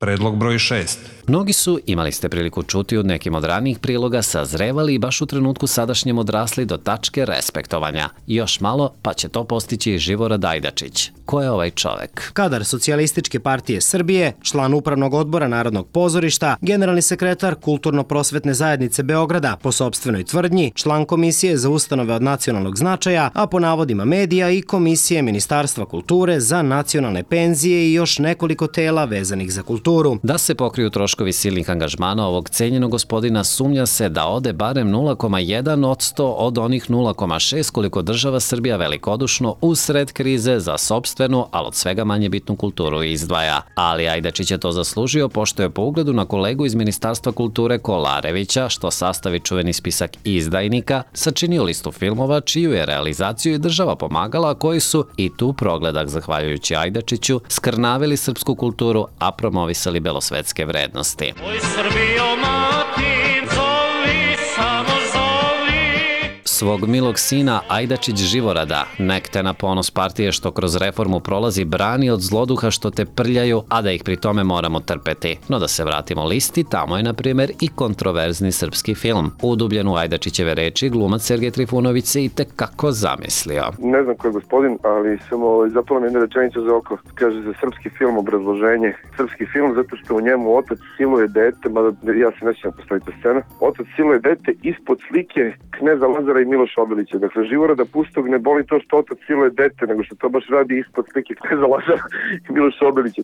Predlog broj 6. Mnogi su, imali ste priliku čuti od nekim od ranijih priloga, sazrevali i baš u trenutku sadašnjem odrasli do tačke respektovanja. Još malo, pa će to postići i Živorad Ajdačić. Ko je ovaj čovek? Kadar Socijalističke partije Srbije, član Upravnog odbora Narodnog pozorišta, generalni sekretar Kulturno-prosvetne zajednice Beograda, po sopstvenoj tvrdnji, član Komisije za ustanove od nacionalnog značaja, a po navodima medija i Komisije Ministarstva kulture za nacionalne penzije i još nekoliko tela vezanih za kulturu. Da se pokriju troškovi silnih angažmana ovog cenjenog gospodina, sumnja se da ode barem 0,1% od onih 0,6 koliko država Srbija velikodušno usred krize za sopstvenu, ali od svega manje bitnu kulturu izdvaja. Ali Ajdačić je to zaslužio, pošto je po ugledu na kolegu iz Ministarstva kulture Kolarevića, što sastavi čuveni spisak izdajnika, sačinio listu filmova čiju je realizaciju i država pomagala, a koji su, i tu progledak zahvaljujući Ajdačiću, skrnavili srpsku kulturu, a promovisali belosvetske vrednosti. Oj Srbijo mati, zovi, samo zovi. Svog milog sina Ajdačić Živorada, nek te na ponos partije što kroz reformu prolazi, brani od zloduha što te prljaju, a da ih pri tome moramo trpeti. No da se vratimo listi, tamo je na primjer i kontroverzni srpski film. Udubljen u Ajdačićeve reči, glumac Sergej Trifunović se i tekako zamislio. Ne znam ko je gospodin, ali sam zapala mi jedna rečenica za oko. Kaže za srpski film obrazloženje. Srpski film zato što u njemu otac siluje dete, mada ja se nećem postaviti scena. Otac siluje dete ispod slike kneza Lazara i Miloša Obilića. Dakle, Živorada Pustog ne boli to što otac siluje dete, nego što to baš radi ispod slike kneza Lazara i Miloša Obilića.